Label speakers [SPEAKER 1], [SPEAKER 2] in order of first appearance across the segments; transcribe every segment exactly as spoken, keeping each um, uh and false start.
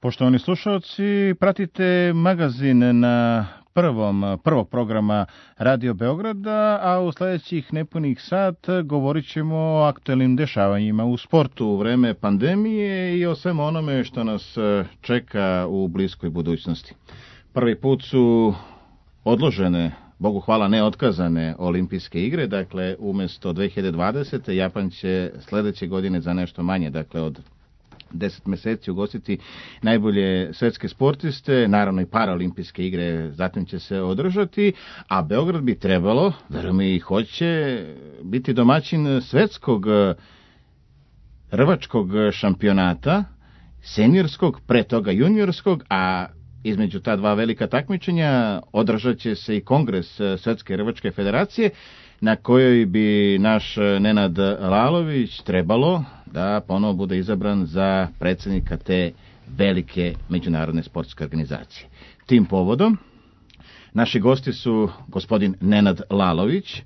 [SPEAKER 1] Poštovani slušalci, pratite magazin na prvom, prvog programa Radio Beograda, a u sljedećih nepunih sat govorit ćemo o aktuelnim dešavanjima u sportu u vreme pandemije i o svemu onome što nas čeka u bliskoj budućnosti. Prvi put su odložene, Bogu hvala, ne otkazane olimpijske igre, dakle umjesto dve hiljade dvadesete. Japan će sljedeće godine za nešto manje, dakle od deset mjeseci ugostiti najbolje svjetske sportiste, naravno i paraolimpijske igre zatim će se održati, a Beograd bi trebalo, verujem i hoće, biti domaćin svjetskog rvačkog šampionata, seniorskog, pre toga juniorskog, a između ta dva velika takmičenja održat će se i kongres Svjetske rvačke federacije, na kojoj bi naš Nenad Lalović trebalo da ponovo bude izabran za predsjednika te velike međunarodne sportske organizacije. Tim povodom naši gosti su gospodin Nenad Lalović,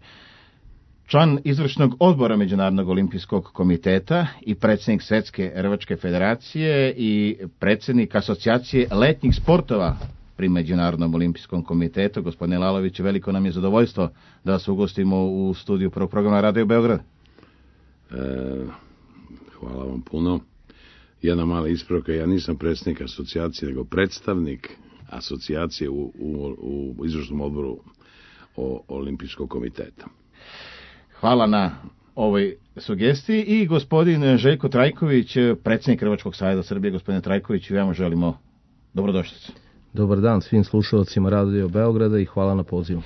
[SPEAKER 1] član izvršnog odbora Međunarodnog olimpijskog komiteta i predsjednik Svjetske rvačke federacije i predsjednik asocijacije letnjih sportova pri Međunarodnom olimpijskom komitetu. Gospodine Lalović, veliko nam je zadovoljstvo da vas ugostimo u studiju prvog programa Radio Beograd.
[SPEAKER 2] E, hvala vam puno. Jedna mala ispravka, ja nisam predsjednik asocijacije, nego predstavnik asocijacije u, u, u izvršnom odboru o, olimpijskog komiteta.
[SPEAKER 1] Hvala na ovoj sugestiji i gospodin Željko Trajković, predsjednik Rvačkog saveza Srbije. Gospodine Trajković, vam želimo dobrodošlicu.
[SPEAKER 3] Dobar dan svim slušalcima Radio Beograda i hvala na pozivu.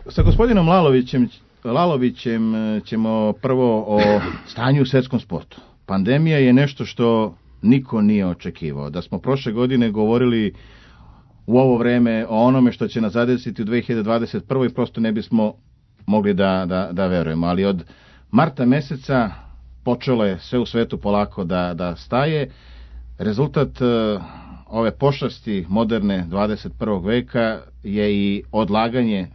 [SPEAKER 1] Sa gospodinom Lalovićem, Lalovićem ćemo prvo o stanju u svjetskom sportu. Pandemija je nešto što niko nije očekivao. Da smo prošle godine govorili u ovo vreme o onome što će nas zadesiti u dve hiljade dvadeset prve. prosto ne bismo mogli da, da, da verujemo. Ali od marta mjeseca počelo je sve u svetu polako da, da staje. Rezultat ove pošasti moderne dvadeset prvog veka je i odlaganje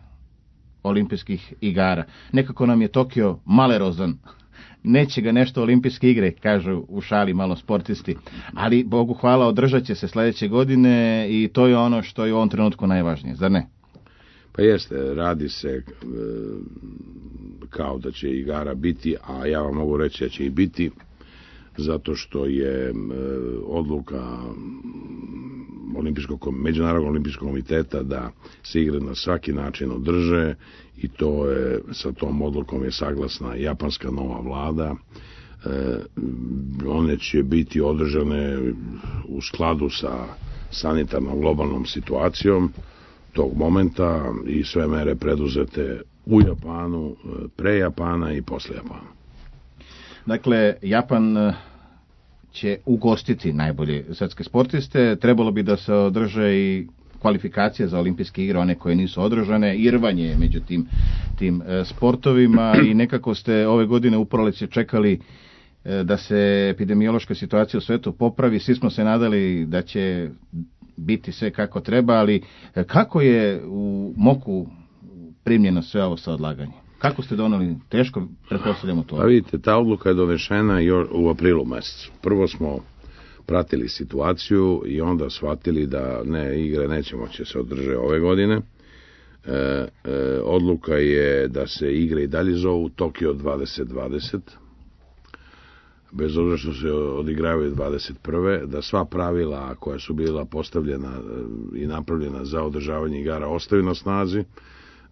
[SPEAKER 1] olimpijskih igara. Nekako nam je Tokio malerozan. Neće ga nešto olimpijske igre, kažu u šali malo sportisti. Ali, Bogu hvala, održat će se sljedeće godine i to je ono što je u ovom trenutku najvažnije, zar ne?
[SPEAKER 2] Pa jeste, radi se e, kao da će igara biti, a ja vam mogu reći da će i biti, zato što je e, odluka Olimpijskog, Međunarodnog olimpijskog komiteta da se igre na svaki način održe i to je, sa tom odlukom je saglasna japanska nova vlada. E, one će biti održane u skladu sa sanitarnom globalnom situacijom tog momenta i sve mere preduzete u Japanu, pre Japana i posle Japana.
[SPEAKER 1] Dakle, Japan će ugostiti najbolje svjetske sportiste. Trebalo bi da se održe i kvalifikacije za olimpijske igre, one koje nisu održane, i rvanje među tim, tim sportovima i nekako ste ove godine u proleće čekali da se epidemiološka situacija u svijetu popravi. Svi smo se nadali da će biti sve kako treba, ali kako je u Moku primljeno sve ovo sa odlaganjem? Kako ste doneli? Teško, pretpostavljamo to.
[SPEAKER 2] Pa vidite, ta odluka je donešena u aprilu mjesecu. Prvo smo pratili situaciju i onda shvatili da ne, igre neće moći se održati ove godine. E, e, odluka je da se igre i dalje zovu Tokio dvadeset dvadeset, bez obzira što se odigravaju dvadeset prve, da sva pravila koja su bila postavljena i napravljena za održavanje igara ostaju na snazi,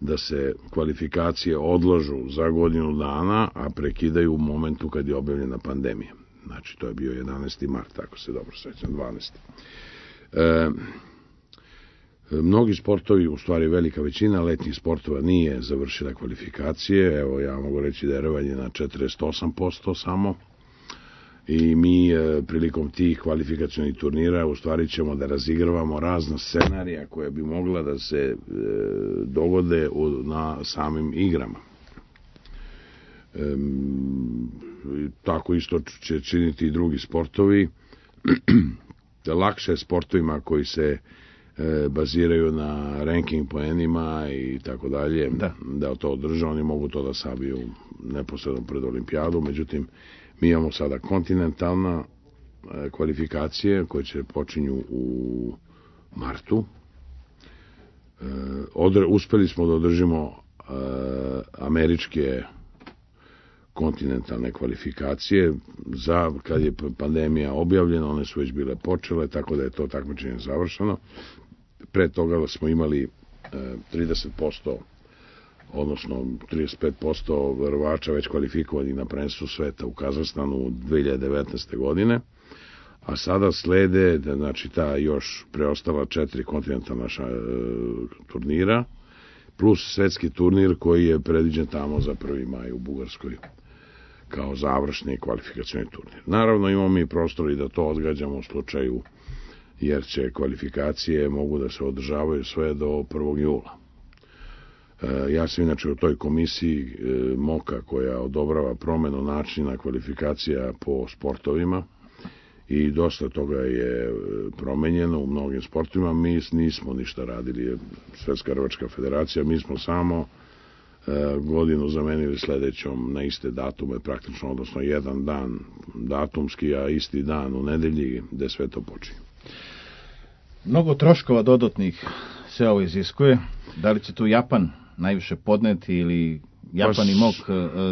[SPEAKER 2] da se kvalifikacije odlažu za godinu dana, a prekidaju u momentu kad je objavljena pandemija. Znači, to je bio jedanaesti mart, ako se dobro sjećam, dvanaesti E, mnogi sportovi, u stvari velika većina letnjih sportova nije završila kvalifikacije. Evo, ja mogu reći da je rvanje na četrdeset osam posto samo. I mi e, prilikom tih kvalifikacionih turnira u stvari ćemo da razigravamo razna scenarija koje bi mogla da se e, dogode u, na samim igrama. E, tako isto će činiti i drugi sportovi. Lakše sportovima koji se e, baziraju na ranking poenima i tako dalje, da, da to održe, oni mogu to da sabiju neposredno pred olimpijadu, međutim mi imamo sada kontinentalna kvalifikacije koje će počinju u martu. Odre, uspeli smo da održimo američke kontinentalne kvalifikacije za kad je pandemija objavljena, one su već bile počele, tako da je to takmičenje završeno. Pre toga smo imali trideset posto odnosno trideset pet posto verovača već kvalifikovani na prvenstvu sveta u Kazahstanu dve hiljade devetnaeste. godine, a sada slede, znači, ta još preostala četiri kontinentalna ša, e, turnira, plus svetski turnir koji je predviđen tamo za prvi maj u Bugarskoj kao završni kvalifikacioni turnir. Naravno, imamo mi prostor i da to odgađamo u slučaju, jer će kvalifikacije mogu da se održavaju sve do prvog jula. Ja sam inače u toj komisiji MOKA koja odobrava promenu načina kvalifikacija po sportovima i dosta toga je promenjeno u mnogim sportovima. Mi nismo ništa radili, Svetska rvačka federacija, mi smo samo godinu zamenili sledećom na iste datume, praktično, odnosno jedan dan datumski, a isti dan u nedelji gde sve to počinje.
[SPEAKER 1] Mnogo troškova dodatnih se ovo iziskuje. Da li će tu Japan najviše podneti ili Japan i MOK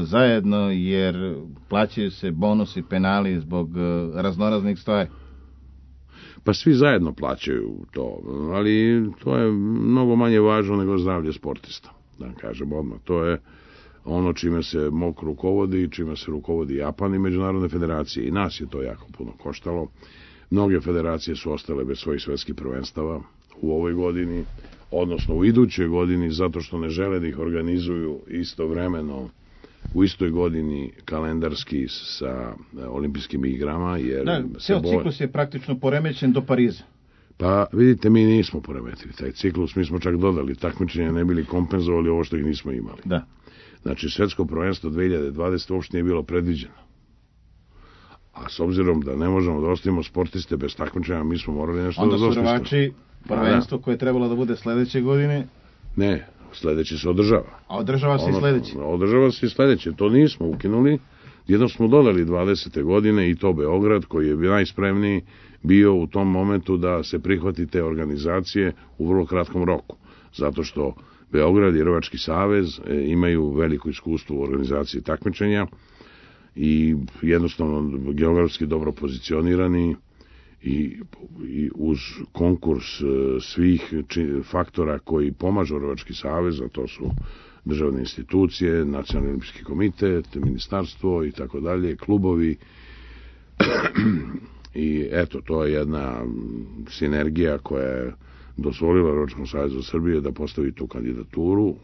[SPEAKER 1] zajedno, jer plaćaju se bonusi, penali zbog raznoraznih stvari?
[SPEAKER 2] Pa svi zajedno plaćaju to, ali to je mnogo manje važno nego zdravlje sportista, da kažem odmah. To je ono čime se MOK rukovodi i čime se rukovodi Japan i međunarodne federacije. I nas je to jako puno koštalo. Mnoge federacije su ostale bez svojih svetskih prvenstava u ovoj godini, odnosno u idućoj godini, zato što ne žele da ih organizuju istovremeno u istoj godini kalendarski sa olimpijskim igrama. Jer
[SPEAKER 1] da, ceo boje... ciklus je praktično poremećen do Pariza.
[SPEAKER 2] Pa vidite, mi nismo poremetili taj ciklus, mi smo čak dodali takmičenja, ne bili kompenzovali ovo što ih nismo imali.
[SPEAKER 1] Da.
[SPEAKER 2] Znači, svetsko prvenstvo dve hiljade dvadesete. uopšte nije bilo predviđeno. A s obzirom da ne možemo da ostavimo sportiste bez takmičenja, mi smo morali nešto
[SPEAKER 1] onda
[SPEAKER 2] da dostismo.
[SPEAKER 1] Onda su rvači prvenstvo koje je trebalo da bude sledeće godine?
[SPEAKER 2] Ne, sledeće se održava.
[SPEAKER 1] A održava se ono, i sledeće?
[SPEAKER 2] Održava se i sledeće, to nismo ukinuli. Jedno smo dodali dvadesete. godine i to Beograd, koji je najspremniji bio u tom momentu da se prihvati te organizacije u vrlo kratkom roku. Zato što Beograd i Rvački savez imaju veliko iskustvo u organizaciji takmičenja i jednostavno geografski dobro pozicionirani i, i uz konkurs svih či, faktora koji pomažu Rvački savez, a to su državne institucije, Nacionalni olimpijski komitet, ministarstvo i tako dalje, klubovi. I eto, to je jedna sinergija koja je dozvolila Rvačkom savezu Srbije da postavi tu kandidaturu.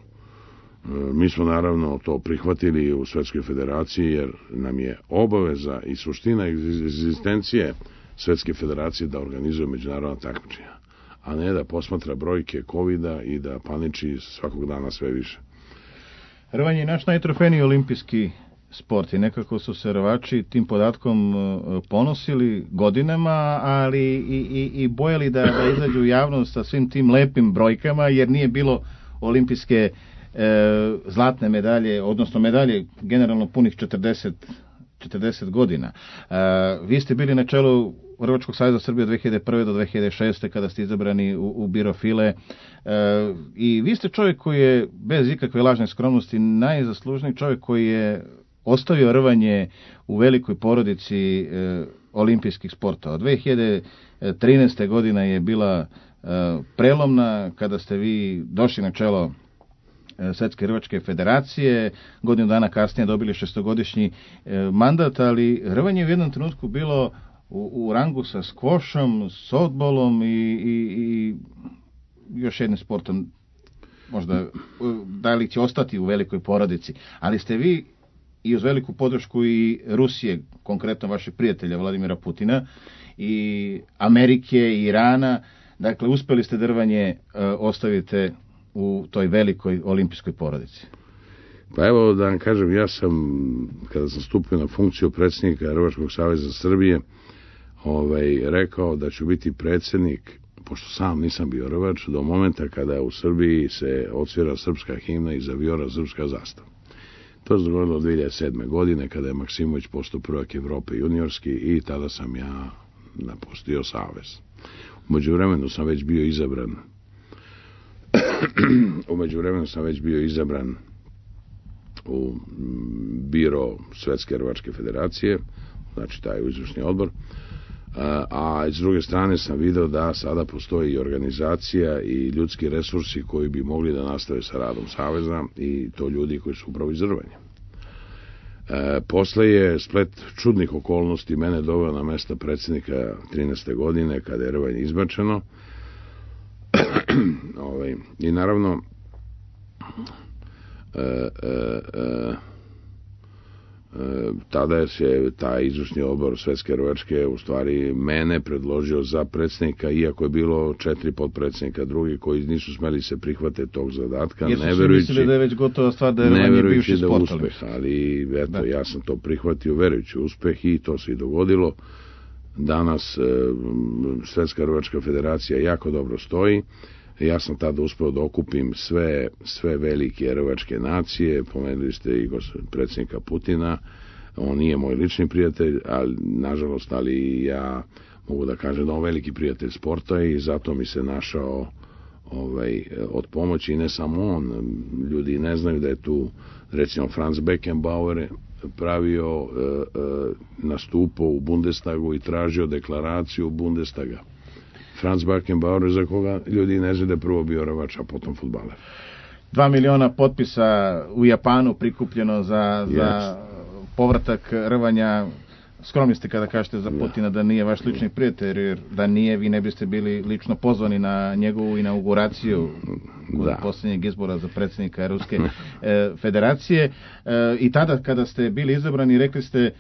[SPEAKER 2] Mi smo naravno to prihvatili u Svetskoj federaciji, jer nam je obaveza i suština egzistencije Svetske federacije da organizuje međunarodna takmičenja, a ne da posmatra brojke kovida i da paniči svakog dana sve više.
[SPEAKER 1] Rvanje je naš najtrofejniji olimpijski sport i nekako su se rvači tim podatkom ponosili godinama, ali i, i, i bojali da, da izađu u javnost sa svim tim lepim brojkama, jer nije bilo olimpijske e, zlatne medalje, odnosno medalje generalno punih četrdeset godina. E, vi ste bili na čelu Rvačkog saveza Srbije od dve hiljade prve do dve hiljade šeste. kada ste izabrani u, u biro file e, i vi ste čovjek koji je bez ikakve lažne skromnosti najzaslužniji čovjek koji je ostavio rvanje u velikoj porodici e, olimpijskih sportova. dve hiljade trinaeste. godina je bila e, prelomna kada ste vi došli na čelo e, Svetske rvačke federacije, godinu dana kasnije dobili šestogodišnji e, mandat, ali rvanje je u jednom trenutku bilo u, u rangu sa skvošom, s odbolom i, i, i još jednim sportom, možda da li će ostati u velikoj porodici, ali ste vi i uz veliku podršku i Rusije, konkretno vašeg prijatelja Vladimira Putina, i Amerike i Irana, dakle uspeli ste drvanje e, ostavite u toj velikoj olimpijskoj porodici.
[SPEAKER 2] Pa evo da vam kažem, ja sam, kada sam stupio na funkciju predsjednika Rvačkog saveza Srbije, ovaj, rekao da ću biti predsjednik, pošto sam nisam bio rvač, do momenta kada u Srbiji se odsvira srpska himna i zavijora srpska zastava. To se dogodilo dve hiljade sedme. godine, kada je Maksimović postao prvak Evrope juniorski i tada sam ja napustio savez. U međuvremenu sam već bio izabran u međuvremenu sam već bio izabran u biro Svetske rvačke federacije, znači taj izvršni odbor, a, a s druge strane sam video da sada postoji i organizacija i ljudski resursi koji bi mogli da nastave sa radom saveza, i to ljudi koji su upravo iz Rvanja. E, posle je splet čudnih okolnosti mene doveo na mesta predsjednika trinaeste godine, kada je Rvanje izbačeno. Ove, i naravno e, e, e, e, tada je se taj izvršni odbor Svetske rvačke u stvari mene predložio za predsjednika, iako je bilo četiri potpredsjednika drugi koji nisu smeli se prihvate tog zadatka,
[SPEAKER 1] jer su
[SPEAKER 2] ne
[SPEAKER 1] svi mislili da je već gotova stvar, da je Rvanje bivši
[SPEAKER 2] da
[SPEAKER 1] sport
[SPEAKER 2] uspeh, ali eto,
[SPEAKER 1] da.
[SPEAKER 2] Ja sam to prihvatio verujući uspeh i to se i dogodilo. Danas e, Svetska rvačka federacija jako dobro stoji. Ja sam tada uspeo da okupim sve, sve velike rvačke nacije. Pomenuli ste i predsjednika Putina. On nije moj lični prijatelj, ali nažalost, ali ja mogu da kažem da on veliki prijatelj sporta, i zato mi se našao ovaj, od pomoći. I ne samo on, ljudi ne znaju da je tu recimo Franz Beckenbauer pravio, e, e, nastupao u Bundestagu i tražio deklaraciju Bundestaga. Franz Beckenbauer, za koga ljudi ne znaju da je prvo bio rvač, a potom fudbaler.
[SPEAKER 1] Dva miliona potpisa u Japanu prikupljeno za,
[SPEAKER 2] yes.
[SPEAKER 1] za povratak Rvanja. Skromni ste kada kažete za Putina da nije vaš lični prijatelj, jer da nije, vi ne biste bili lično pozvani na njegovu inauguraciju od posljednjeg izbora za predsjednika Ruske e, federacije. E, I tada kada ste bili izabrani, rekli ste e,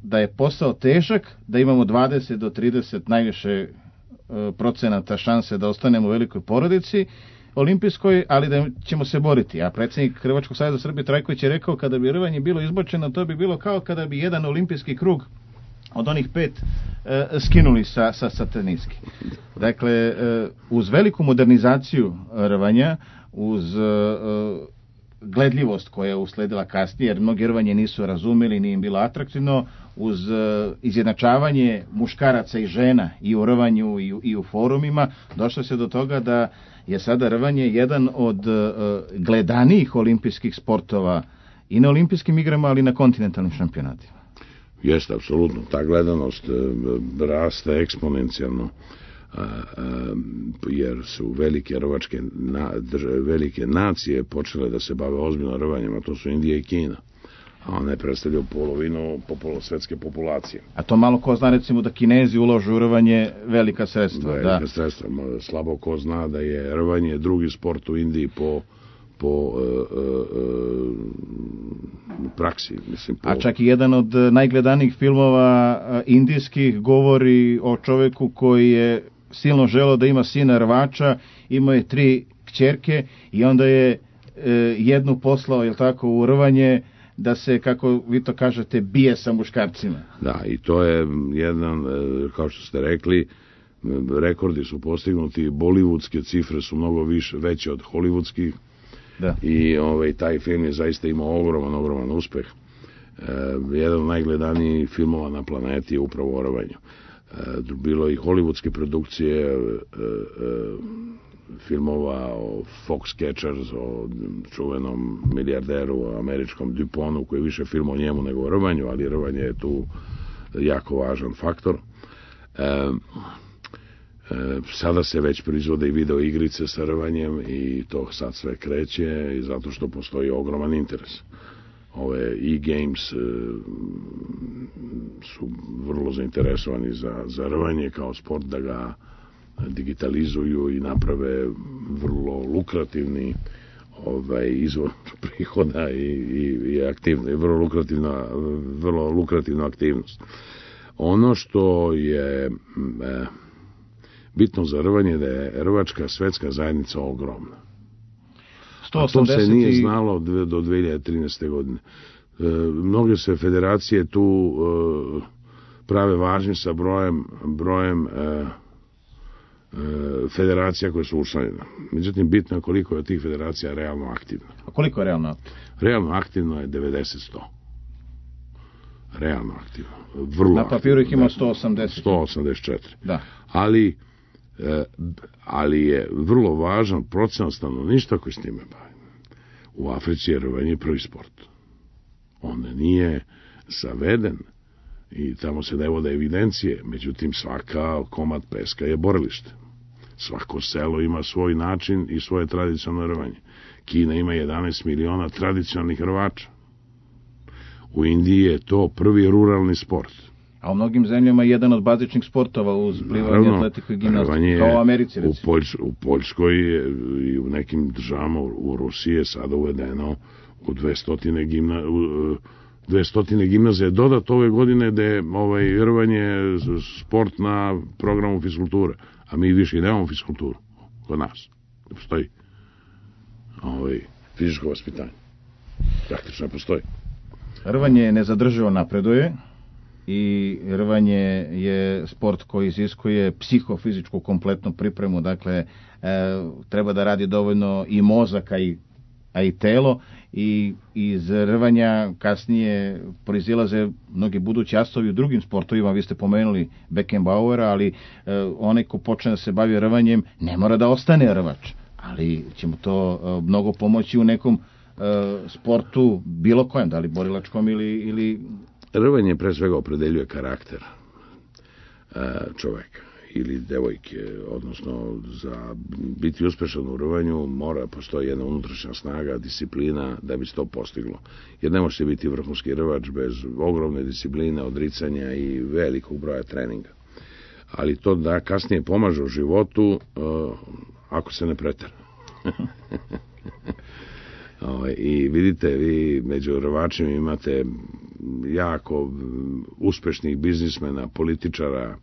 [SPEAKER 1] da je posao težak, da imamo dvadeset do trideset najviše e, procenata šanse da ostanemo u velikoj porodici olimpijskoj, ali da ćemo se boriti. A predsjednik Hrvatskog saveza Srbije Trajković je rekao, kada bi Rvanje bilo izbačeno, to bi bilo kao kada bi jedan olimpijski krug od onih pet e, skinuli sa, sa, sa teniski. Dakle, e, uz veliku modernizaciju Rvanja, uz e, gledljivost koja je usledila kasnije, jer mnogi Rvanje nisu razumeli, nije im bilo atraktivno, uz e, izjednačavanje muškaraca i žena i u Rvanju i u, i u forumima, došlo se do toga da je sada Rvanje jedan od e, gledanijih olimpijskih sportova i na olimpijskim igrama, ali i na kontinentalnim šampionatima.
[SPEAKER 2] Jeste, apsolutno. Ta gledanost e, raste eksponencijalno, e, e, jer su velike rvačke na, drž, velike nacije počele da se bave ozbiljno rvanjem, a to su Indija i Kina. A one predstavljaju polovinu popolo, svetske populacije.
[SPEAKER 1] A to malo ko zna, recimo, da Kinezi uložu u rvanje velika sredstva.
[SPEAKER 2] Velika
[SPEAKER 1] da.
[SPEAKER 2] sredstva. Slabo ko zna da je rvanje drugi sport u Indiji po po uh, uh, praksi. Mislim, po...
[SPEAKER 1] A čak i jedan od najgledanijih filmova uh, indijskih govori o čoveku koji je silno želeo da ima sina rvača, imao je tri kćerke i onda je uh, jednu poslao, jel tako, u rvanje, da se, kako vi to kažete, bije sa muškarcima.
[SPEAKER 2] Da, i to je jedan, kao što ste rekli, rekordi su postignuti, bollywoodske cifre su mnogo više, veće od hollywoodskih. Da. I ovaj, taj film je zaista imao ogroman, ogroman uspeh. E, jedan od najgledanijih filmova na planeti je upravo o rvanju. E, bilo i hollywoodske produkcije, e, e, filmova o Foxcatchers, o čuvenom milijarderu američkom Duponu, koji je više film o njemu nego o rvanju, ali rvanje je tu jako važan faktor. E, e, sada se već proizvode i video igrice sa rvanjem i to sad sve kreće, i zato što postoji ogroman interes. Ove e-games e, su vrlo zainteresovani za, za rvanje kao sport, da ga digitalizuju i naprave vrlo lukrativni ovaj izvor prihoda i, i, i aktivno, vrlo lukrativna, vrlo lukrativna aktivnost. Ono što je e, bitno za rvanje, da je rvačka svetska zajednica ogromna. A to se nije znalo do dve hiljade trinaeste. godine. E, mnoge se federacije tu e, prave važni sa brojem brojem e, federacija koje su učlanjene. Međutim, bitno je koliko je od tih federacija realno aktivno.
[SPEAKER 1] A koliko je realno aktivno?
[SPEAKER 2] Realno aktivno je devedeset do sto. realno aktivan. Vrlo
[SPEAKER 1] na papiru ih ima
[SPEAKER 2] aktivan,
[SPEAKER 1] sto osamdeset.
[SPEAKER 2] sto osamdeset četiri.
[SPEAKER 1] Da.
[SPEAKER 2] Ali, e, ali je vrlo važan procenat stanovništva koji s time bavi. U Africi je rvanje prvi sport. On nije zaveden i tamo se ne vode evidencije, međutim svaka komad peska je borilište. Svako selo ima svoj način i svoje tradicionalno rvanje. Kina ima jedanaest miliona tradicionalnih rvača. U Indiji je to prvi ruralni sport.
[SPEAKER 1] A u mnogim zemljama je jedan od bazičnih sportova uz plivanje, atletiku i gimnastiku, kao u Americi, recimo.
[SPEAKER 2] U, Poljs, u Poljskoj i u nekim državama, u Rusiji je sada uvedeno u dvesta gimna, u, dvesta gimnazije dodat ove godine da je ovaj, rvanje sport na programu fiskulture. A mi više nemamo fiskulturu kod nas. Ne postoji ovaj, fizičko vaspitanje. Praktično ne postoji.
[SPEAKER 1] Rvanje nezadrživo napreduje i rvanje je sport koji iziskuje psihofizičku kompletnu pripremu, dakle e, treba da radi dovoljno i mozak, a i, a i telo, i iz rvanja kasnije proizilaze mnogi budući asovi u drugim sportovima. Vi ste pomenuli Beckenbauera, ali e, onaj ko počne da se bavi rvanjem ne mora da ostane rvač, ali će mu to e, mnogo pomoći u nekom e, sportu bilo kojem, da li borilačkom ili, ili...
[SPEAKER 2] Rvanje pre svega opredeljuje karakter e, čoveka ili devojke, odnosno za biti uspešan u rvanju mora postoji jedna unutrašnja snaga, disciplina da bi se to postiglo. Jer ne može biti vrhunski rvač bez ogromne discipline, odricanja i velikog broja treninga. Ali to da kasnije pomaže u životu uh, ako se ne pretera. I vidite, vi među rvačima imate jako uspešnih biznismena, političara,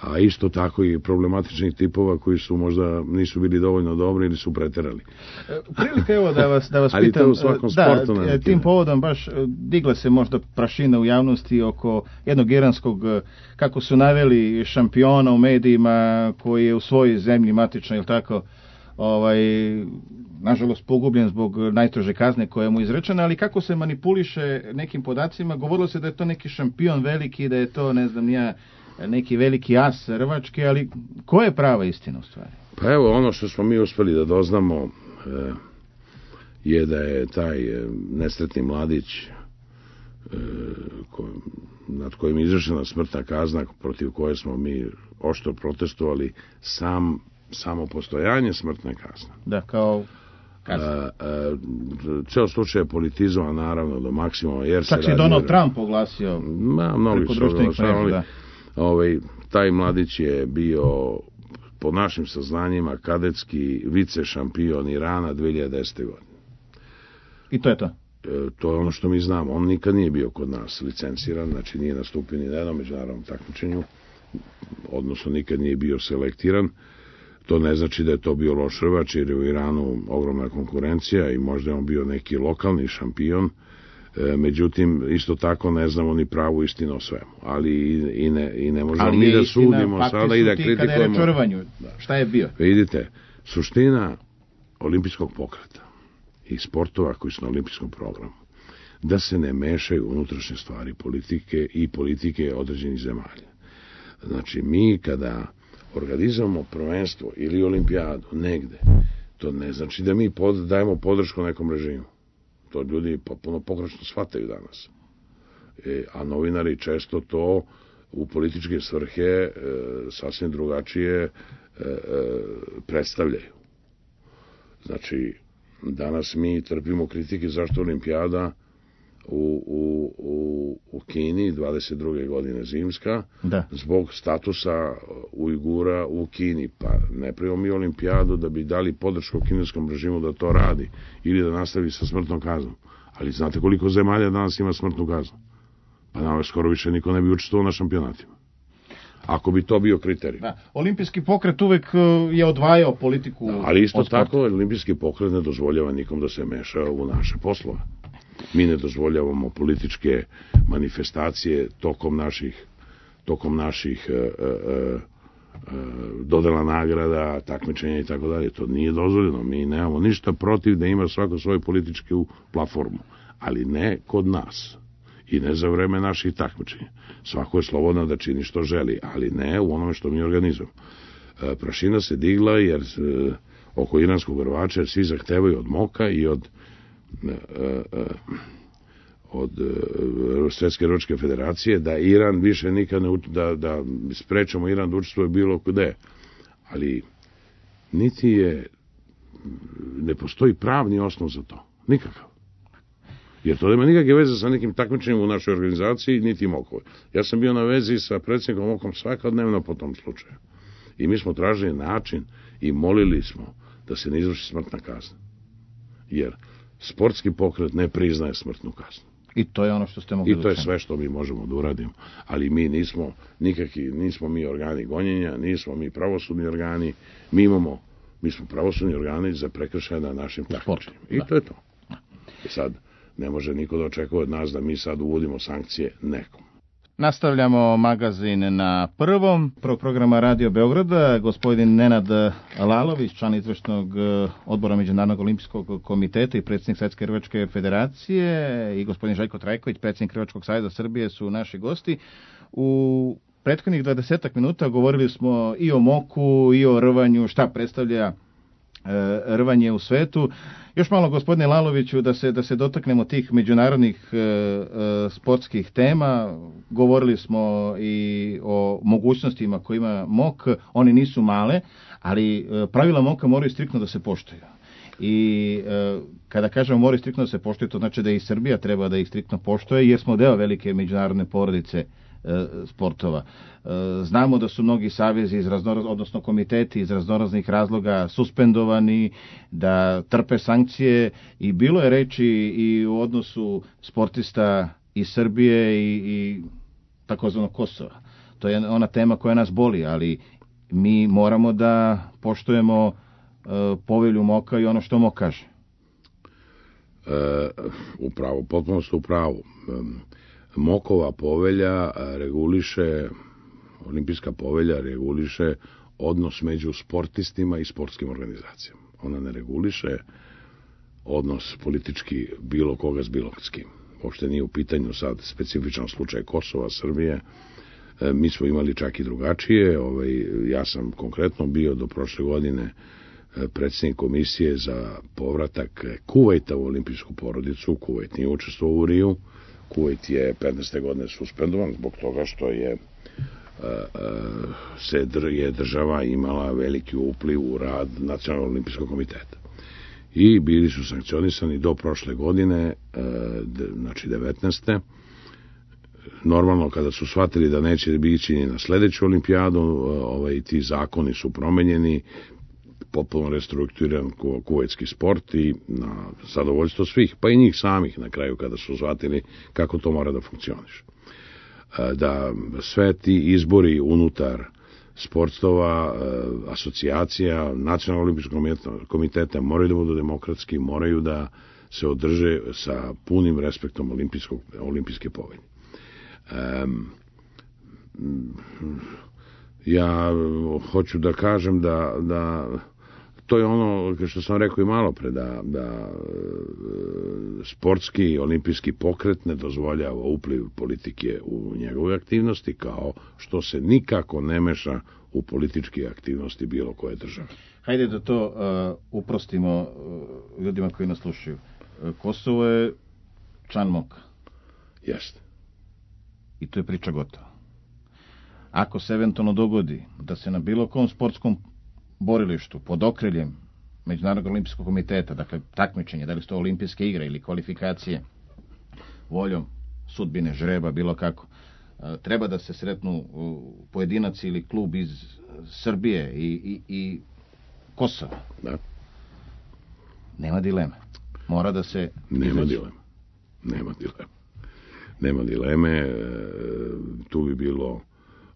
[SPEAKER 2] a isto tako i problematičnih tipova koji su možda nisu bili dovoljno dobri ili su preterali.
[SPEAKER 1] Prilika evo da vas, da vas
[SPEAKER 2] ali
[SPEAKER 1] pitam,
[SPEAKER 2] to u svakom sportu,
[SPEAKER 1] da,
[SPEAKER 2] ne,
[SPEAKER 1] tim povodom baš digla se možda prašina u javnosti oko jednog iranskog, kako su naveli, šampiona u medijima koji je u svojoj zemlji matično, ili tako, ovaj, nažalost pogubljen zbog najteže kazne koja mu je izrečena, ali kako se manipuliše nekim podacima, govorilo se da je to neki šampion veliki, da je to, ne znam, nija, neki veliki as rvački, ali koja je prava istina u stvari?
[SPEAKER 2] Pa evo, ono što smo mi uspeli da doznamo e, je da je taj e, nesretni mladić e, ko, nad kojim je izvršena smrtna kazna, protiv koje smo mi oštro protestovali, sam samo postojanje smrtne kazne.
[SPEAKER 1] Da, kao kazna.
[SPEAKER 2] Ceo slučaj je politizovan naravno do maksimuma. Jer
[SPEAKER 1] čak
[SPEAKER 2] se
[SPEAKER 1] i Donald Trump oglasio.
[SPEAKER 2] Ma, mnogi su oglasili. Da. Ovaj, taj mladić je bio po našim saznanjima kadetski vice šampion Irana dve hiljade desete. godine.
[SPEAKER 1] I to je to?
[SPEAKER 2] E, to je ono što mi znamo. On nikad nije bio kod nas licenciran, znači nije nastupio ni na jednom međunarodnom takmičenju, odnosno nikad nije bio selektiran. To ne znači da je to bio loš rvač, jer je u Iranu ogromna konkurencija i možda je on bio neki lokalni šampion. E, međutim, isto tako ne znamo ni pravu istinu o svemu. Ali i, i, ne, i ne možemo mi da sudimo sada i da kritikujemo. Kada je
[SPEAKER 1] reč o rvanju, šta je bio?
[SPEAKER 2] Vidite, suština olimpijskog pokreta i sportova koji su na olimpijskom programu, da se ne mešaju unutrašnje stvari politike i politike određenih zemalja. Znači, mi kada organizujemo prvenstvo ili olimpijadu negde, to ne znači da mi pod, dajemo podršku nekom režimu. To ljudi potpuno pogrešno shvataju danas. E, a novinari često to u političke svrhe e, sasvim drugačije e, e, predstavljaju. Znači, danas mi trpimo kritike zašto olimpijada u, u, u, u Kini dvadeset druge godine zimska,
[SPEAKER 1] da,
[SPEAKER 2] zbog statusa Ujgura u Kini. Pa ne pravimo mi olimpijadu da bi dali podršku kineskom režimu da to radi ili da nastavi sa smrtnom kaznom. Ali znate koliko zemalja danas ima smrtnu kaznu? Pa nama skoro više niko ne bi učestvovao na šampionatima. Ako bi to bio kriterij.
[SPEAKER 1] Da. Olimpijski pokret uvek je odvajao politiku.
[SPEAKER 2] Da, ali isto tako, olimpijski pokret ne dozvoljava nikom da se meša u naše poslove. Mi ne dozvoljavamo političke manifestacije tokom naših, tokom naših e, e, e, dodela nagrada, takmičenja i tako dalje. To nije dozvoljeno. Mi nemamo ništa protiv da ima svako svoju političku platformu. Ali ne kod nas. i ne za vreme naših takmičenja. Svako je slobodno da čini što želi, ali ne u onome što mi organizujemo. Prašina se digla jer oko iranskog rvača svi zahtevaju od MOK-a i od od Svjetske rvačke federacije da Iran više nikad ne da, da sprečamo Iran da učestvuje bilo gde. Ali niti je ne postoji pravni osnov za to. Nikakav. Jer to nema nikakve veze sa nekim takmičenjem u našoj organizaciji, niti MOK-ovoj. Ja sam bio na vezi sa predsjednikom MOK-om svakodnevno po tom slučaju. I mi smo tražili način i molili smo da se ne izvrši smrtna kazna. Jer sportski pokret ne priznaje smrtnu kaznu.
[SPEAKER 1] I to je ono što ste mogli
[SPEAKER 2] I to je sve što mi možemo da uradimo. Ali mi nismo nikakvi, nismo mi organi gonjenja, nismo mi pravosudni organi, mi imamo, mi smo pravosudni organi za prekršaje na našim takmičenjima. I to je to. I sad, ne može niko da očekuje od nas da mi sad uvodimo sankcije nekom.
[SPEAKER 1] Nastavljamo magazin na prvom. Prvog programa Radio Beograda, gospodin Nenad Lalović, član izvršnog odbora Međunarodnog olimpijskog komiteta i predsjednik Svjetske rvačke federacije, i gospodin Željko Trajković, predsjednik Rvačkog saveza Srbije, su naši gosti. U prethodnih dvadesetak minuta govorili smo i o moku, i o rvanju, šta predstavlja rvanje u svetu. Još malo, gospodine Laloviću, da se, da se dotaknemo tih međunarodnih e, e, sportskih tema. Govorili smo i o mogućnostima koje ima mok. One nisu male, ali e, pravila moka moraju striktno da se poštuju. I e, kada kažemo moraju striktno da se poštuju, to znači da i Srbija treba da ih striktno poštuje, jer smo deo velike međunarodne porodice sportova. Znamo da su mnogi savezi iz raznoraz, odnosno komiteti iz raznoraznih razloga suspendovani, da trpe sankcije, i bilo je reči i u odnosu sportista iz Srbije i, i takozvanog Kosova. To je ona tema koja nas boli, ali mi moramo da poštujemo uh, povelju moka i ono što mok kaže.
[SPEAKER 2] E, upravo, potpuno ste upravo. Mokova povelja reguliše, olimpijska povelja reguliše odnos među sportistima i sportskim organizacijama. Ona ne reguliše odnos politički bilo koga s bilo s kim. Uopšte nije u pitanju sad specifičan slučaj Kosova, Srbije. E, mi smo imali čak i drugačije. Ovaj, ja sam konkretno bio do prošle godine predsjednik komisije za povratak Kuvajta u olimpijsku porodicu. Kuvajt nije učestvovao u Riju. Kuvajt je petnaeste godine suspendovan zbog toga što je se je država imala veliki upliv u rad Nacionalnog olimpijskog komiteta. I bili su sankcionisani do prošle godine, znači devetnaeste. Normalno, kada su shvatili da neće biti ni na sledeću olimpijadu, ovaj, ti zakoni su promenjeni, potpuno restrukturiran kuvajtski sport i na zadovoljstvo svih, pa i njih samih na kraju kada su shvatili kako to mora da funkcioniše. Da sve ti izbori unutar sportova, asocijacija, Nacionalnog olimpijskog komiteta moraju da budu demokratski, moraju da se održe sa punim respektom olimpijskog, olimpijske povelje. Um, ja hoću da kažem da, da to je ono što sam rekao i malo pre, da, da sportski olimpijski pokret ne dozvoljava upliv politike u njegove aktivnosti, kao što se nikako ne meša u političke aktivnosti bilo koje države.
[SPEAKER 1] Hajde da to uh, uprostimo uh, ljudima koji nas slušaju. Uh, Kosovo je član moka.
[SPEAKER 2] Jeste.
[SPEAKER 1] I to je priča gotova. Ako se eventualno dogodi da se na bilo kom sportskom borilištu pod okriljem Međunarodnog olimpijskog komiteta, dakle takmičenje, da li su to olimpijske igre ili kvalifikacije, voljom sudbine, žreba, bilo kako, treba da se sretnu pojedinac ili klub iz Srbije i, i, i Kosova.
[SPEAKER 2] Da.
[SPEAKER 1] Nema dileme. Mora da se...
[SPEAKER 2] Nema dileme. Nema dileme. Nema dileme. Tu bi bilo,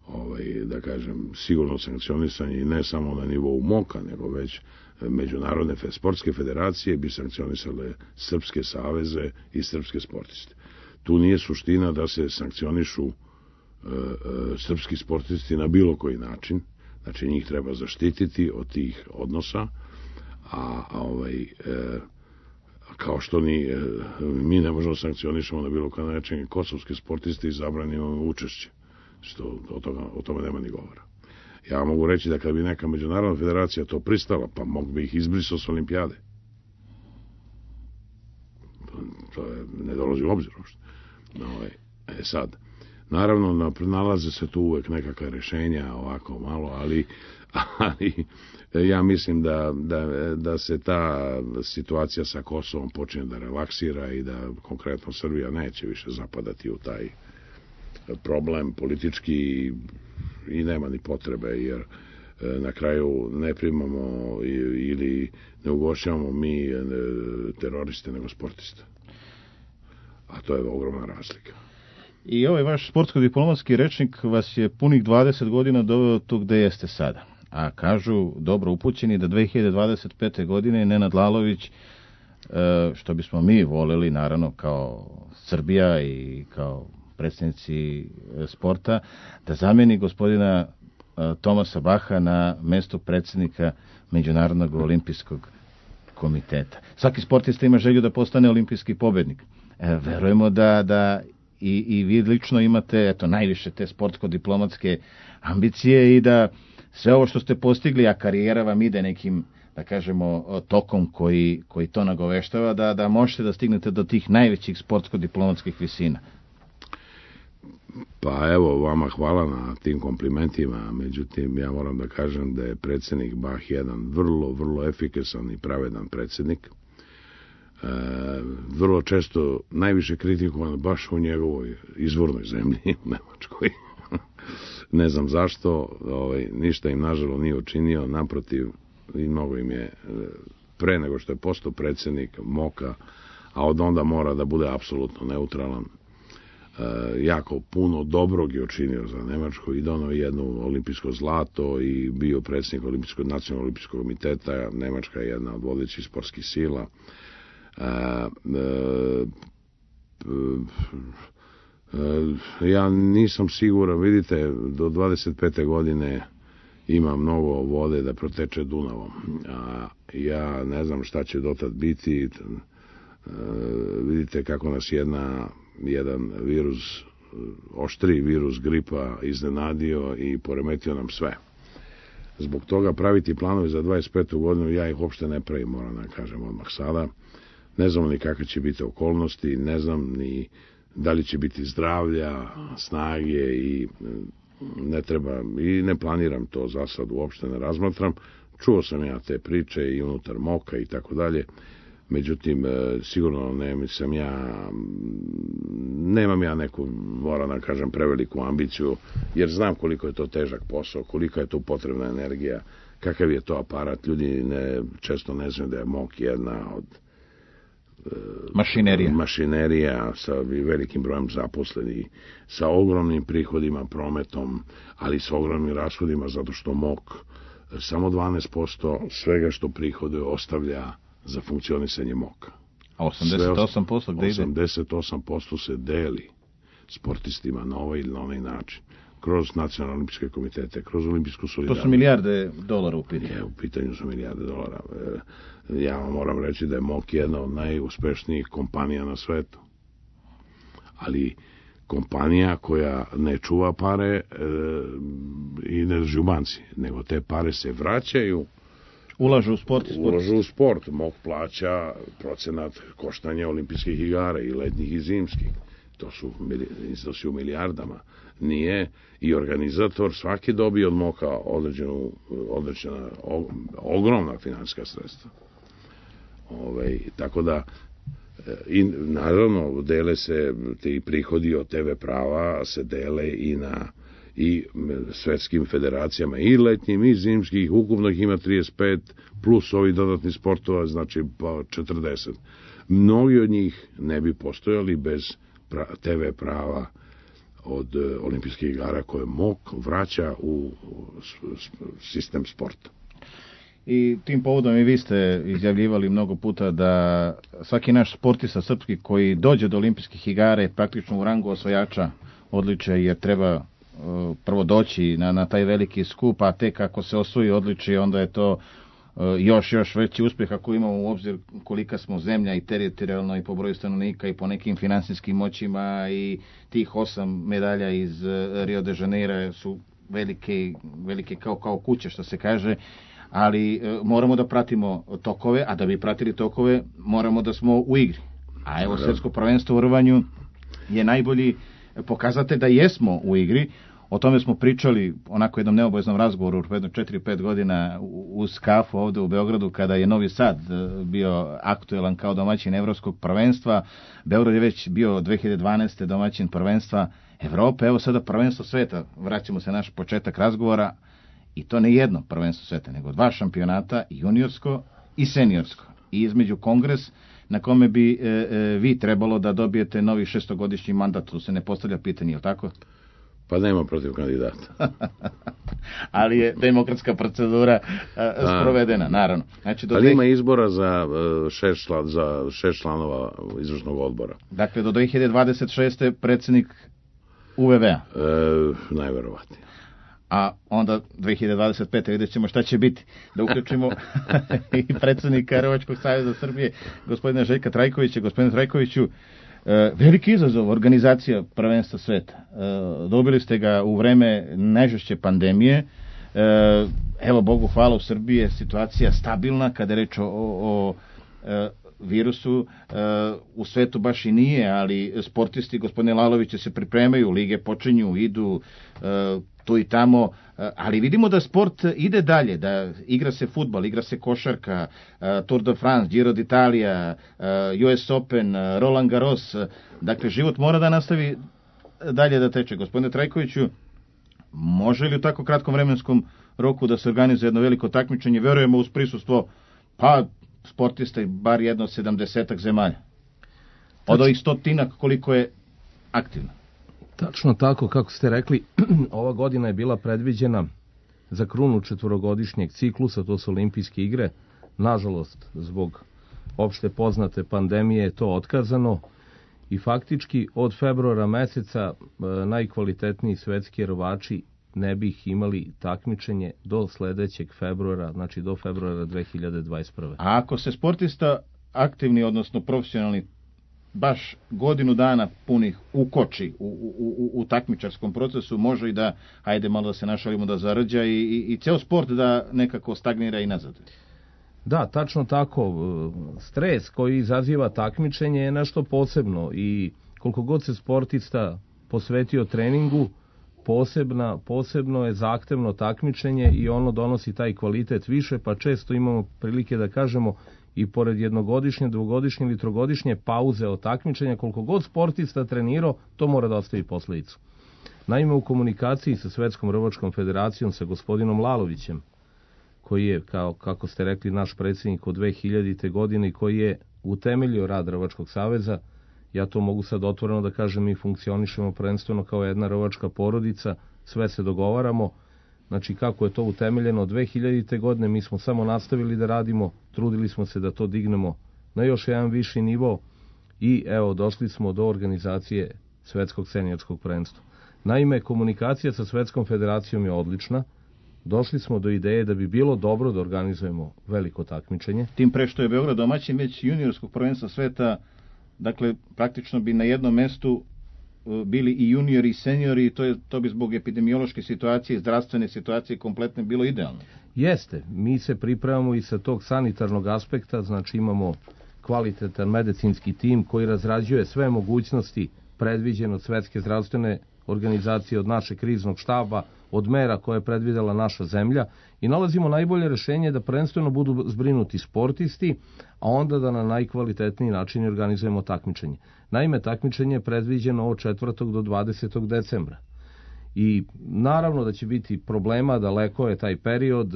[SPEAKER 2] ovaj, da kažem, sigurno sankcionisanje i ne samo na nivou moka, nego već međunarodne sportske federacije bi sankcionisale srpske saveze i srpske sportiste. Tu nije suština da se sankcionišu e, e, srpski sportisti na bilo koji način. Znači, njih treba zaštititi od tih odnosa, a, a ovaj, e, kao što ni mi ne možemo sankcionišemo na bilo kada način kosovske sportiste i zabranimo učešće, što o, toga, o tome nema ni govora. Ja mogu reći da kad bi neka međunarodna federacija to pristala, pa mogu bi ih izbrisao s olimpijade. To je, ne dolazi u obzir uopšte. No, e sad, naravno, nalaze se tu uvek nekakva rešenja, ovako malo, ali, ali ja mislim da, da, da se ta situacija sa Kosovom počne da relaksira i da konkretno Srbija neće više zapadati u taj problem politički i nema ni potrebe, jer na kraju ne primamo ili ne ugošćavamo mi teroriste nego sportiste. A to je ogromna razlika.
[SPEAKER 1] I ovaj vaš sportsko-diplomatski rečnik vas je punih dvadeset godina doveo tu gde jeste sada. A kažu, dobro upućeni, da dve hiljade dvadeset pete. godine Nenad Lalović, što bismo mi voleli, naravno, kao Srbija i kao predsjednici sporta, da zameni gospodina Tomasa Baha na mesto predsjednika Međunarodnog olimpijskog komiteta. Svaki sportista ima želju da postane olimpijski pobednik. E, verujemo da, da i, i vi lično imate eto, najviše te sportsko-diplomatske ambicije i da sve ovo što ste postigli, a karijera vam ide nekim, da kažemo, tokom koji, koji to nagoveštava, da, da možete da stignete do tih najvećih sportsko-diplomatskih visina.
[SPEAKER 2] Pa evo, vama hvala na tim komplimentima, međutim, ja moram da kažem da je predsjednik Bah jedan vrlo, vrlo efikasan i pravedan predsjednik. E, vrlo često najviše kritikovan baš u njegovoj izvornoj zemlji, u Nemačkoj. Ne znam zašto, ovaj, ništa im nažalost nije učinio, naprotiv, i mnogo im je pre nego što je postao predsjednik moka, a od onda mora da bude apsolutno neutralan. E, jako puno dobrog je učinio za Nemačku i donao jedno olimpijsko zlato i bio predsjednik olimpijskog, nacionalnog olimpijskog komiteta. Nemačka je jedna od vodećih sportskih sila. E, e, e, ja nisam siguran, vidite, do dvadeset pete. godine ima mnogo vode da proteče Dunavom, a ja ne znam šta će dotad biti. E, vidite kako nas jedna jedan virus, oštriji virus gripa iznenadio i poremetio nam sve. Zbog toga praviti planovi za dvadeset petu. godinu, ja ih uopšte ne pravim, moram da kažem odmah sada. Ne znam ni kakve će biti okolnosti, ne znam ni da li će biti zdravlja, snage i ne treba, i ne planiram to za sad, uopšte ne razmatram. Čuo sam ja te priče i unutar moka i tako dalje. Međutim, sigurno ne sam ja, nemam ja neku, moram da kažem, preveliku ambiciju, jer znam koliko je to težak posao, kolika je to potrebna energija, kakav je to aparat. Ljudi ne, često ne znaju da je mok jedna od
[SPEAKER 1] mašinerija.
[SPEAKER 2] mašinerija sa velikim brojem zaposlenih, sa ogromnim prihodima, prometom, ali sa ogromnim rashodima, zato što mok samo dvanaest posto svega što prihoduje ostavlja za funkcionisanje moka.
[SPEAKER 1] A osamdeset osam posto gde ide?
[SPEAKER 2] osamdeset osam posto se deli sportistima na ovaj ili na onaj način. Kroz nacionalne olimpijske komitete, kroz olimpijsku solidarnost.
[SPEAKER 1] To su milijarde dolara u pitanju.
[SPEAKER 2] Je, u pitanju su milijarde dolara. Ja vam moram reći da je mok jedna od najuspešnijih kompanija na svetu. Ali kompanija koja ne čuva pare e, i ne drži u banci, nego te pare se vraćaju,
[SPEAKER 1] ulažu u sport. sport.
[SPEAKER 2] Ulažu u sport. Mok plaća procenat koštanja olimpijskih igara i letnjih i zimskih. To su iznosi u milijardama. Nije i organizator svaki dobije od moka određenu, određena ogromna finansijska sredstva. Ove, tako da i naravno dele se ti prihodi od te ve prava se dele i na i svetskim federacijama i letnjim i zimskih, ukupno ih ima trideset pet plus ovi dodatni sportova, znači pa četrdeset. Mnogi od njih ne bi postojali bez te ve prava od olimpijskih igara koje mok vraća u sistem sporta.
[SPEAKER 1] I tim povodom i vi ste izjavljivali mnogo puta da svaki naš sportista srpski koji dođe do olimpijskih igara je praktično u rangu osvajača odličja, jer treba uh, prvo doći na, na taj veliki skup, a tek ako se osvoji odličje, onda je to još još veći uspjeh ako imamo u obzir kolika smo zemlja i teritorijalno i po broju stanovnika i po nekim financijskim moćima, i tih osam medalja iz Rio de Janeiro su velike, velike kao, kao kuće, što se kaže, ali e, moramo da pratimo tokove, a da bi pratili tokove moramo da smo u igri. A evo, svjetsko prvenstvo u rvanju je najbolji pokazatelj da jesmo u igri. O tome smo pričali onako jednom neobaveznom razgovoru jedno četiri pet godina uz kafu ovdje u Beogradu, kada je Novi Sad bio aktuelan kao domaćin evropskog prvenstva. Beograd je već bio dve hiljade dvanaeste. domaćin prvenstva Evrope. Evo sada prvenstvo sveta. Vraćamo se na naš početak razgovora, i to ne jedno prvenstvo sveta, nego dva šampionata, juniorsko i seniorsko. I između kongres na kome bi e, e, vi trebalo da dobijete novi šestogodišnji mandat. Tu se ne postavlja pitanje, je li tako?
[SPEAKER 2] Pa nema protiv kandidata.
[SPEAKER 1] Ali je demokratska procedura a, sprovedena, naravno. Znači, do
[SPEAKER 2] ali
[SPEAKER 1] dve...
[SPEAKER 2] ima izbora za šest, član, za šest članova izvršnog odbora.
[SPEAKER 1] Dakle, do dve hiljade dvadeset šeste. predsjednik U V V A.
[SPEAKER 2] E, najverovatnije.
[SPEAKER 1] A onda dve hiljade dvadeset pete. vidjet ćemo šta će biti. Da uključimo i predsjednika Rvačkog saveza Srbije, gospodina Željka Trajkovića. Gospodine Trajkoviću, e, veliki izazov organizacija prvenstva sveta. E, dobili ste ga u vreme najžešće pandemije. E, evo, Bogu hvala, u Srbiji je situacija stabilna kada je reč o, o, o e, virusu. E, u svetu baš i nije, ali sportisti, gospodine Lalović, se pripremaju, lige počinju, idu e, tu i tamo, ali vidimo da sport ide dalje, da igra se fudbal, igra se košarka, Tour de France, Giro d'Italia, U S Open, Roland Garros. Dakle, život mora da nastavi dalje da teče. Gospodine Trajkoviću, može li u tako kratkom vremenskom roku da se organizuje jedno veliko takmičenje? Verujemo uz prisustvo pa sportista i bar jedno sedamdesetak zemalja. Od ovih stotinak koliko je aktivno.
[SPEAKER 3] Tačno tako, kako ste rekli, ova godina je bila predviđena za krunu četvorogodišnjeg ciklusa, to su olimpijske igre. Nažalost, zbog opšte poznate pandemije je to otkazano i faktički od februara meseca e, najkvalitetniji svetski rvači ne bi ih imali takmičenje do sledećeg februara, znači do februara dve hiljade dvadeset prve.
[SPEAKER 1] A ako se sportista aktivni, odnosno profesionalni, baš godinu dana punih ukoči u, u, u, u takmičarskom procesu, može i da, ajde malo da se našalimo, da zarađa i, i, i ceo sport da nekako stagnira i nazad.
[SPEAKER 3] Da, tačno tako. Stres koji izaziva takmičenje je nešto posebno i koliko god se sportista posvetio treningu, posebna, posebno je zahtevno takmičenje i ono donosi taj kvalitet više, pa često imamo prilike da kažemo i pored jednogodišnje, dvogodišnje ili trogodišnje pauze od takmičenja, koliko god sportista trenirao, to mora da ostavi posledicu. Naime, u komunikaciji sa Svetskom rvačkom federacijom, sa gospodinom Lalovićem, koji je, kao, kako ste rekli, naš predsjednik od dve hiljadite. godine i koji je utemeljio rad Rvačkog saveza, ja to mogu sad otvoreno da kažem, mi funkcionišemo prvenstveno kao jedna rvačka porodica, sve se dogovaramo. Znači, kako je to utemeljeno od dve hiljadite. godine, mi smo samo nastavili da radimo, trudili smo se da to dignemo na još jedan viši nivo i evo, došli smo do organizacije Svetskog seniorskog prvenstva. Naime, komunikacija sa Svetskom federacijom je odlična. Došli smo do ideje da bi bilo dobro da organizujemo veliko takmičenje.
[SPEAKER 1] Tim pre što je Beograd domaćin već juniorskog prvenstva sveta, dakle, praktično bi na jednom mestu bili i juniori i seniori, i to, je, to bi zbog epidemiološke situacije i zdravstvene situacije kompletne bilo idealno.
[SPEAKER 3] Jeste, mi se pripremamo i sa tog sanitarnog aspekta, znači imamo kvalitetan medicinski tim koji razrađuje sve mogućnosti predviđene od Svetske zdravstvene organizacije, od našeg kriznog štaba, od mera koje je predvidela naša zemlja i nalazimo najbolje rešenje da prvenstveno budu zbrinuti sportisti, a onda da na najkvalitetniji način organizujemo takmičenje. Naime, takmičenje je predviđeno od četvrtog do dvadesetog decembra. I naravno da će biti problema, daleko je taj period,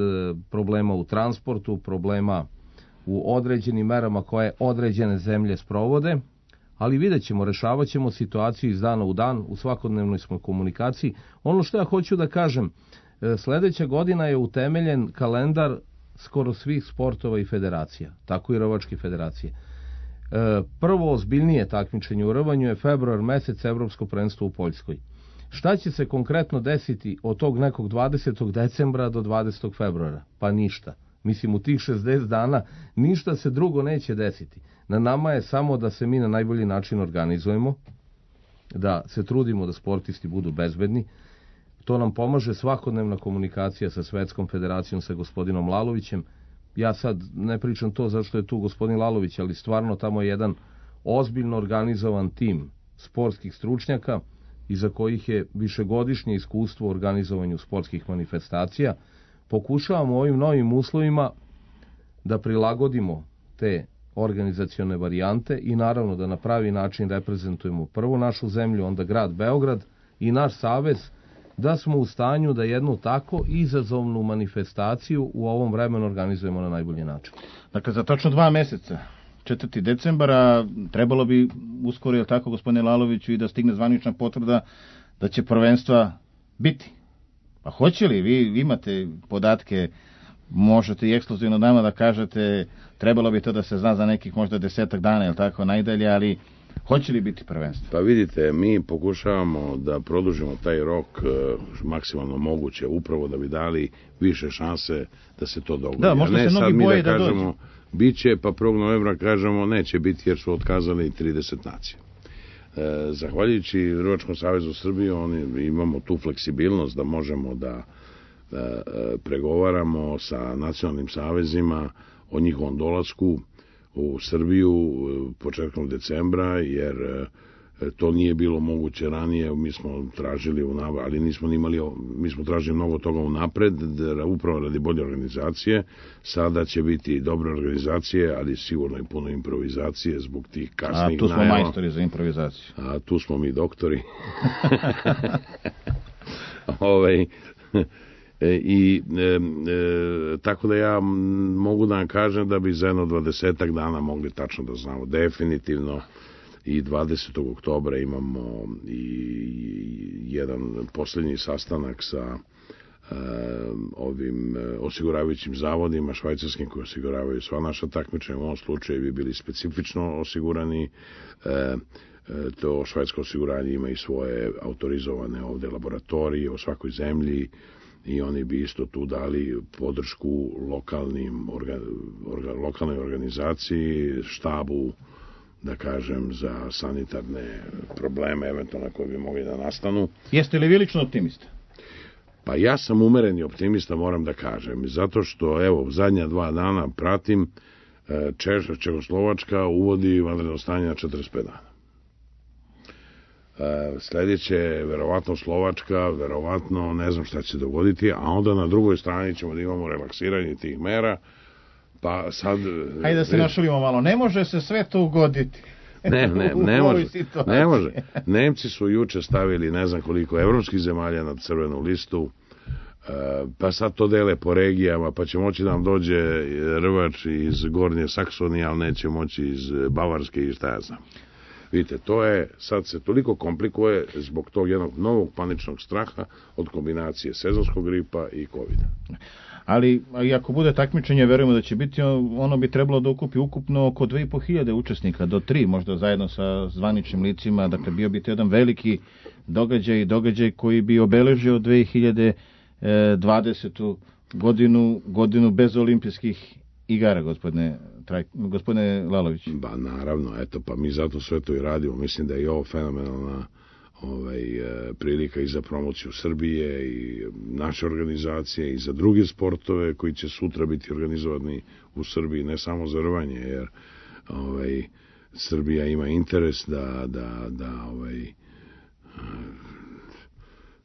[SPEAKER 3] problema u transportu, problema u određenim merama koje određene zemlje sprovode, ali vidjet ćemo, rešavat ćemo situaciju iz dana u dan, u svakodnevnoj smo komunikaciji. Ono što ja hoću da kažem, sledeća godina je utemeljen kalendar skoro svih sportova i federacija, tako i rvačke federacije. Prvo ozbiljnije takmičenje u rvanju je februar mesec, Evropsko prvenstvo u Poljskoj. Šta će se konkretno desiti od tog nekog dvadesetog decembra do dvadesetog februara? Pa ništa. Mislim, u tih šezdeset dana ništa se drugo neće desiti. Na nama je samo da se mi na najbolji način organizujemo, da se trudimo da sportisti budu bezbedni. To nam pomaže svakodnevna komunikacija sa Svetskom federacijom, sa gospodinom Lalovićem. Ja sad ne pričam to zašto je tu gospodin Lalović, ali stvarno tamo je jedan ozbiljno organizovan tim sportskih stručnjaka iza kojih je višegodišnje iskustvo u organizovanju sportskih manifestacija. Pokušavamo u ovim novim uslovima da prilagodimo te organizacione varijante i naravno da na pravi način reprezentujemo prvo našu zemlju, onda grad Beograd i naš savez, da smo u stanju da jednu tako izazovnu manifestaciju u ovom vremenu organizujemo na najbolji način.
[SPEAKER 1] Dakle, za tačno dva meseca, četvrtog decembra, trebalo bi uskoro, je tako, gospodine Laloviću, i da stigne zvanična potvrda da će prvenstva biti. Pa hoće li? Vi imate podatke, možete i ekskluzivno nama da kažete, trebalo bi to da se zna za nekih možda desetak dana, je tako, najdalje, ali hoće li biti prvenstvo?
[SPEAKER 2] Pa vidite, mi pokušavamo da produžimo taj rok maksimalno moguće, upravo da bi dali više šanse da se to dogodi.
[SPEAKER 1] Da, možda se mnogi boje da, da
[SPEAKER 2] kažemo,
[SPEAKER 1] dođe.
[SPEAKER 2] Biće, pa prvog novembra kažemo neće biti jer su otkazali trideset nacija. E, zahvaljujući Rvačkom savezu Srbije, oni imamo tu fleksibilnost da možemo da e, pregovaramo sa nacionalnim savezima o njihovom dolasku u Srbiju početkom decembra, jer to nije bilo moguće ranije. Mi smo tražili, ali nismo imali, mi smo tražili mnogo toga unapred, upravo radi bolje organizacije. Sada će biti dobre organizacije, ali sigurno i puno improvizacije zbog tih kasnih najava.
[SPEAKER 1] A tu smo najava. Majstori za improvizaciju.
[SPEAKER 2] A tu smo mi doktori. Ovaj... E, i e, e, tako da ja mogu da vam kažem da bi za jedno dvadesetak dana mogli tačno da znamo definitivno. I dvadesetog oktobra imamo i jedan posljednji sastanak sa e, ovim osiguravajućim zavodima švajcarskim koji osiguravaju sva naša takmičenja. U ovom slučaju bi bili specifično osigurani. e, to švajcarsko osiguranje ima i svoje autorizovane ovde laboratorije u svakoj zemlji i oni bi isto tu dali podršku lokalnim orga, orga, lokalnoj organizaciji, štabu, da kažem, za sanitarne probleme eventualno koje bi mogli da nastanu.
[SPEAKER 1] Jeste li vi lično optimista?
[SPEAKER 2] Pa ja sam umereni optimista, moram da kažem, zato što evo zadnja dva dana pratim Češ, Čehoslovačka uvodi vanredno stanje na četrdeset pet dana. Sljedeće je verovatno Slovačka, verovatno ne znam šta će se dogoditi, a onda na drugoj strani ćemo da imamo relaksiranje tih mera, pa sad...
[SPEAKER 1] Hajde da se našalimo malo, ne može se sve to ugoditi.
[SPEAKER 2] Ne, ne, ne može, ne može. Nemci su juče stavili ne znam koliko evropskih zemalja na crvenu listu, pa sad to dele po regijama, pa će moći da nam dođe rvač iz Gornje Saksonije, ali neće moći iz Bavarske i šta ja znam. Vidite, to je, sad se toliko komplikuje zbog tog jednog novog paničnog straha od kombinacije sezonskog gripa i kovida.
[SPEAKER 1] Ali, i ako bude takmičenje, verujemo da će biti, ono bi trebalo da okupi ukupno oko dve i po hiljade učesnika, do tri, možda zajedno sa zvaničnim licima, dakle bio bi to jedan veliki događaj, događaj koji bi obeležio dve hiljade dvadesetu godinu, godinu bez olimpijskih igara, gospodine, Traj, gospodine Lalović.
[SPEAKER 2] Ba, naravno, eto, pa mi zato sve to i radimo. Mislim da je ovo fenomenalna ovaj, prilika i za promociju Srbije i naše organizacije i za druge sportove koji će sutra biti organizovani u Srbiji, ne samo za rvanje, jer ovaj, Srbija ima interes da, da, da ovaj,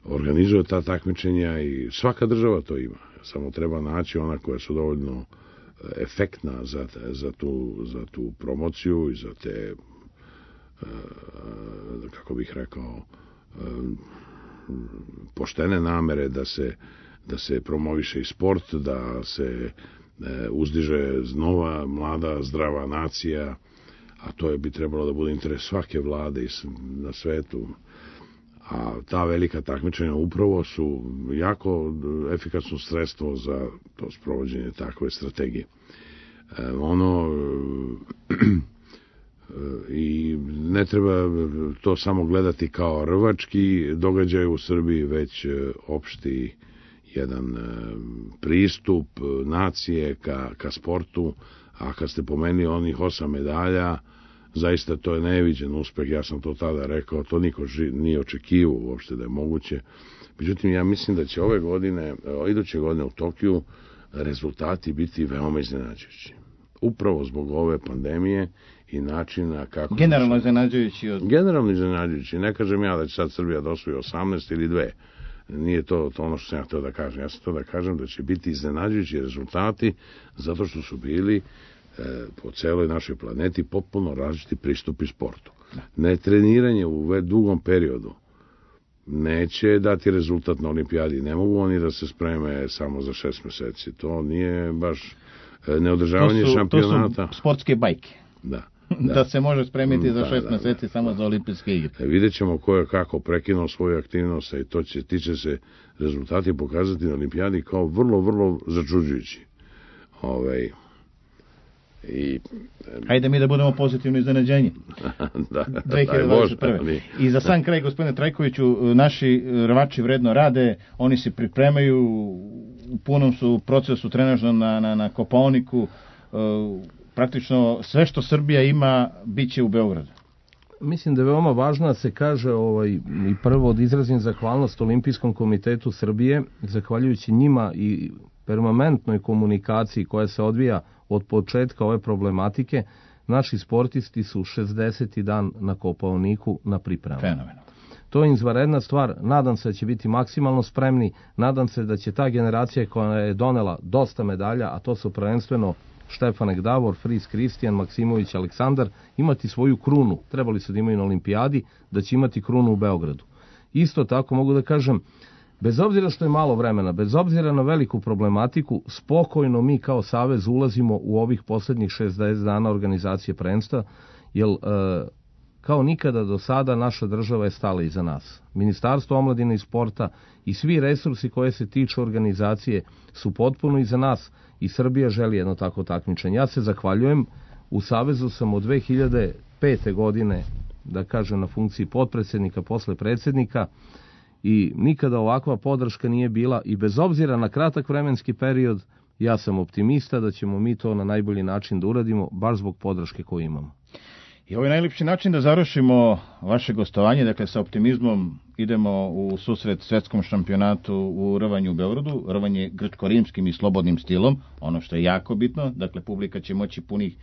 [SPEAKER 2] organizuje ta takmičenja i svaka država to ima. Samo treba naći ona koja su dovoljno efektna za, za, tu, za tu promociju i za te, kako bih rekao, poštene namere da se, da se promoviše i sport, da se uzdiže nova, mlada, zdrava nacija, a to je bi trebalo da bude interes svake vlade na svetu. A ta velika takmičenja upravo su jako efikasno sredstvo za to sprovođenje takve strategije. E, ono i ne treba to samo gledati kao rvački događaj u Srbiji, već opšti jedan pristup nacije ka, ka sportu, a kad ste pomenuli onih osam medalja, zaista to je neviđen uspeh, ja sam to tada rekao, to niko nije očekivao uopšte da je moguće. Međutim, ja mislim da će ove godine, iduće godine u Tokiju, rezultati biti veoma iznenađujući. Upravo zbog ove pandemije i načina kako...
[SPEAKER 1] Generalno iznenađujući. Od...
[SPEAKER 2] Generalno iznenađujući. Ne kažem ja da će sad Srbija da osvoji osamnaest ili dve. Nije to, to ono što sam ja htio da kažem. Ja sam to da kažem da će biti iznenađujući rezultati zato što su bili e, po celoj našoj planeti potpuno različiti pristupi sportu. Ne treniranje u dugom periodu neće dati rezultat na olimpijadi. Ne mogu oni da se spreme samo za šest meseci. To nije baš neodržavanje
[SPEAKER 1] to su,
[SPEAKER 2] šampionata.
[SPEAKER 1] To su sportske bajke.
[SPEAKER 2] Da.
[SPEAKER 1] Da, da se može spremiti da, za šest
[SPEAKER 2] da,
[SPEAKER 1] meseci
[SPEAKER 2] da,
[SPEAKER 1] samo
[SPEAKER 2] da,
[SPEAKER 1] za olimpijske igre.
[SPEAKER 2] E, vidjet ćemo ko je kako prekinuo svoju aktivnost i to će, ti će se rezultati pokazati na olimpijadi kao vrlo, vrlo začuđujući. Ovaj... I,
[SPEAKER 1] Hajde mi da budemo pozitivno iznenađenje.
[SPEAKER 2] da,
[SPEAKER 1] dve hiljade dvadeset prve. Ali... I za sam kraj, gospodine Trajkoviću, naši rvači vredno rade, oni se pripremaju, u punom su procesu trenažnom na, na, na Kopaoniku, praktično sve što Srbija ima bit će u Beogradu.
[SPEAKER 3] Mislim da je veoma važno da se kaže ovaj, i prvo da izrazim zahvalnost Olimpijskom komitetu Srbije, zahvaljujući njima i permanentnoj komunikaciji koja se odvija od početka ove problematike, naši sportisti su šesdeseti dan na Kopaoniku na pripremama.
[SPEAKER 1] Fenomenalno.
[SPEAKER 3] To je izvanredna stvar, nadam se da će biti maksimalno spremni, nadam se da će ta generacija koja je donela dosta medalja, a to su prvenstveno Štefanek Davor, Fris Kristijan, Maksimović Aleksandar, imati svoju krunu, trebali su da imaju na olimpijadi, da će imati krunu u Beogradu. Isto tako mogu da kažem, bez obzira što je malo vremena, bez obzira na veliku problematiku, spokojno mi kao savez ulazimo u ovih posljednjih šezdeset dana organizacije prvenstva, jer e, kao nikada do sada naša država je stala iza nas. Ministarstvo omladine i sporta i svi resursi koje se tiču organizacije su potpuno iza nas i Srbija želi jedno tako takmičenje. Ja se zahvaljujem, u savezu sam od dve hiljade pete godine, da kažem, na funkciji potpredsjednika, posle predsjednika, i nikada ovakva podrška nije bila i bez obzira na kratak vremenski period, ja sam optimista da ćemo mi to na najbolji način da uradimo, baš zbog podrške koju imamo.
[SPEAKER 1] I ovo je najljepši način da završimo vaše gostovanje, dakle sa optimizmom idemo u susret svetskom šampionatu u rvanju u Beogradu, rvanje grčko-rimskim i slobodnim stilom, ono što je jako bitno, dakle publika će moći punih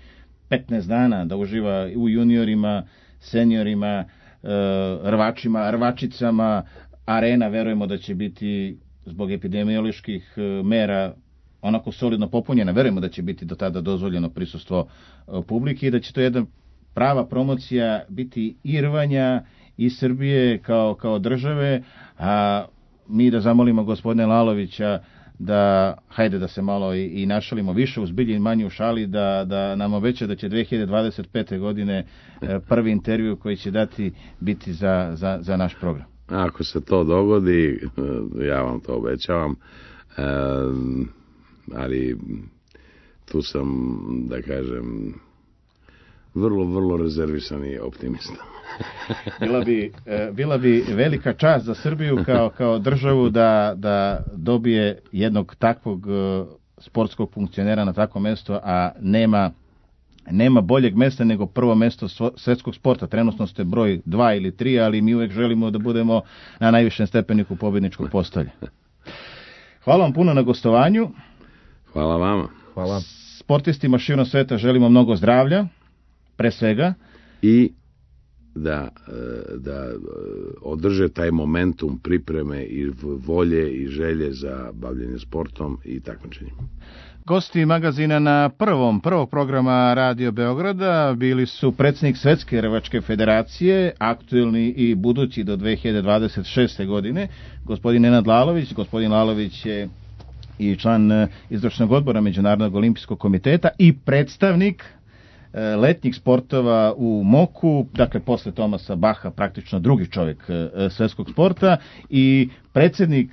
[SPEAKER 1] petnaest dana da uživa u juniorima, seniorima, rvačima, rvačicama, arena verujemo da će biti zbog epidemioloških mera onako solidno popunjena, verujemo da će biti do tada dozvoljeno prisustvo publike i da će to jedna prava promocija biti i rvanja i Srbije kao, kao države, a mi da zamolimo gospodine Lalovića da, hajde da se malo i, i našalimo više u zbilji i manje u šali, da, da nam obeća da će dve hiljade dvadeset pete godine prvi intervju koji će dati biti za, za, za naš program.
[SPEAKER 2] Ako se to dogodi, ja vam to obećavam, e, ali tu sam, da kažem, vrlo, vrlo rezervisan i optimista.
[SPEAKER 1] bila, bi, bila bi velika čast za Srbiju kao, kao državu da, da dobije jednog takvog sportskog funkcionera na takvo mesto, a nema nema boljeg mesta nego prvo mesto svetskog sporta. Trenutno ste broj dva ili tri, ali mi uvek želimo da budemo na najvišem stepeniku pobjedničkog postolja. Hvala vam puno na gostovanju.
[SPEAKER 2] Hvala vama.
[SPEAKER 3] Hvala.
[SPEAKER 1] Sportistima širom sveta želimo mnogo zdravlja, pre svega.
[SPEAKER 2] I da, da održe taj momentum pripreme i volje i želje za bavljenje sportom i takmičenjem.
[SPEAKER 1] Gosti magazina na prvom, prvog programa Radio Beograda bili su predsjednik Svetske rvačke federacije, aktuelni i budući do dve hiljade dvadeset šeste godine, gospodin Nenad Lalović. Gospodin Lalović je i član izvršnog odbora Međunarodnog olimpijskog komiteta i predstavnik letnjih sportova u Moku, dakle posle Tomasa Baha praktično drugi čovjek svetskog sporta i predsjednik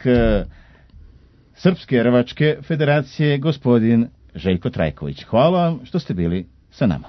[SPEAKER 1] Srpske rvačke federacije gospodin Željko Trajković. Hvala vam što ste bili sa nama.